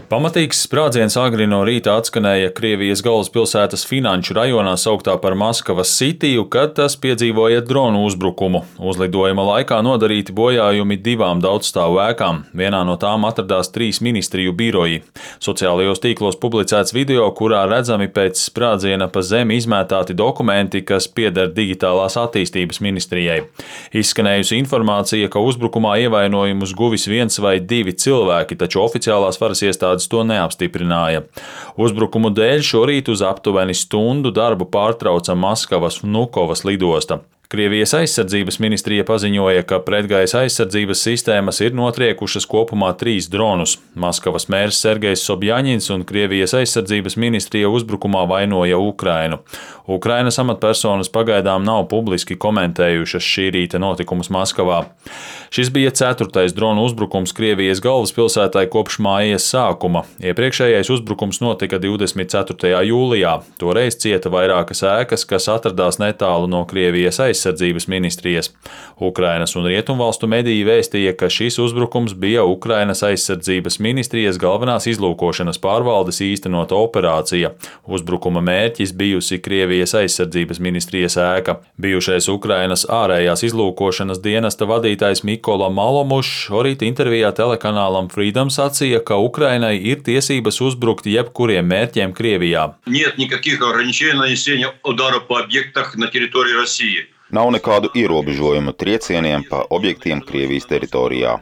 Pamatīgs sprādziens agri no rīta atskanēja Krievijas galvaspilsētas finanšu rajonā sauktā par Maskavas Sitiju, kad tas piedzīvoja dronu uzbrukumu. Uzlidojuma laikā nodarīti bojājumi 2 daudzstāvu ēkām. Vienā no tām atradās 3 ministriju biroji. Sociālajos tīklos publicēts video, kurā redzami pēc sprādziena pa zemi izmētāti dokumenti, kas pieder digitālās attīstības ministrijai. Izskanējusi informācija, ka uzbrukumā ievainojumus guvis 1 vai 2 cilvēki, taču oficiālās varas iestādes to neapstiprināja. Uzbrukumu dēļ šorīt uz aptuveni stundu darbu pārtrauca Maskavas Vnukovas lidosta. Krievijas aizsardzības ministrija paziņoja, ka pretgaisa aizsardzības sistēmas ir notriekušas kopumā 3 dronus. Maskavas mērs Sergejs Sobjaņins un Krievijas aizsardzības ministrija uzbrukumā vainoja Ukrainu. Ukrainas amatpersonas pagaidām nav publiski komentējušas šī rīta notikumus Maskavā. Šis bija 4. dronu uzbrukums Krievijas galvaspilsētai kopš mājas sākuma. Iepriekšējais uzbrukums notika 24. jūlijā. Toreiz cieta vairākas ēkas, kas atradās netālu no Krievijas aizsardzības ministrijas. Ukrainas un Rietumvalstu mediji vēstīja, ka šis uzbrukums bija Ukrainas aizsardzības ministrijas galvenās izlūkošanas pārvaldes īstenota operācija. Uzbrukuma mērķis bijusi Krievijas aizsardzības ministrijas ēka. Bijušais Ukrainas ārējās izlūkošanas dienesta vadītājs Mikola Malomušs šorīt intervijā telekanālam Freedom sacīja, ka Ukrainai ir tiesības uzbrukt jebkuriem mērķiem Krievijā. Nav nekādu ierobežojumu triecieniem pa objektiem Krievijas teritorijā.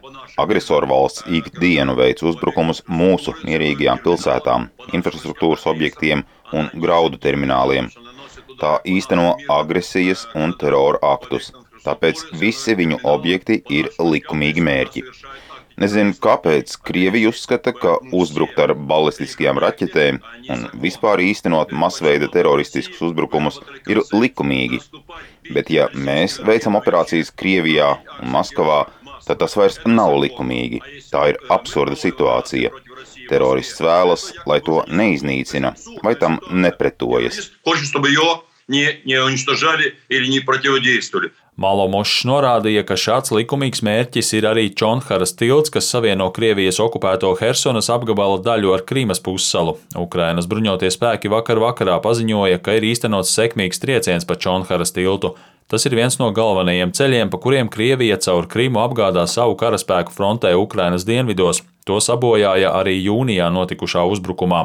Agresoru valsts ikdienu veic uzbrukumus mūsu mierīgajām pilsētām, infrastruktūras objektiem un graudu termināliem. Tā īsteno agresijas un terora aktus, tāpēc visi viņu objekti ir likumīgi mērķi. Nezinu, kāpēc Krievija uzskata, ka uzbrukt ar balistiskajām raķetēm un vispār īstenot masveida teroristiskus uzbrukumus ir likumīgi. Bet ja mēs veicam operācijas Krievijā un Maskavā, tad tas vairs nav likumīgi. Tā ir absurda situācija. Terorists vēlas, lai to neiznīcina vai tam nepretojas. Malomušs norādīja, ka šāds likumīgs mērķis ir arī Čonharas tilts, kas savieno Krievijas okupēto Hersonas apgabala daļu ar Krimas pussalu. Ukrainas bruņotie spēki vakar vakarā paziņoja, ka ir īstenots sekmīgs trieciens pa Čonharas tiltu. Tas ir viens no galvenajiem ceļiem, pa kuriem Krievija caur Krimu apgādā savu karaspēku frontē Ukrainas dienvidos. To sabojāja arī jūnijā notikušā uzbrukumā.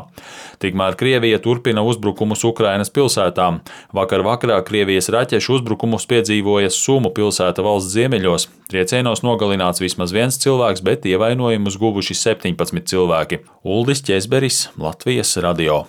Tikmēr Krievija turpina uzbrukumus Ukrainas pilsētām. Vakar vakarā Krievijas raķešu uzbrukumus piedzīvoja Sumu pilsēta valsts ziemeļos. Triecienos nogalināts vismaz 1 cilvēks, bet ievainojumus guvuši 17 cilvēki. Uldis Ķezberis, Latvijas radio.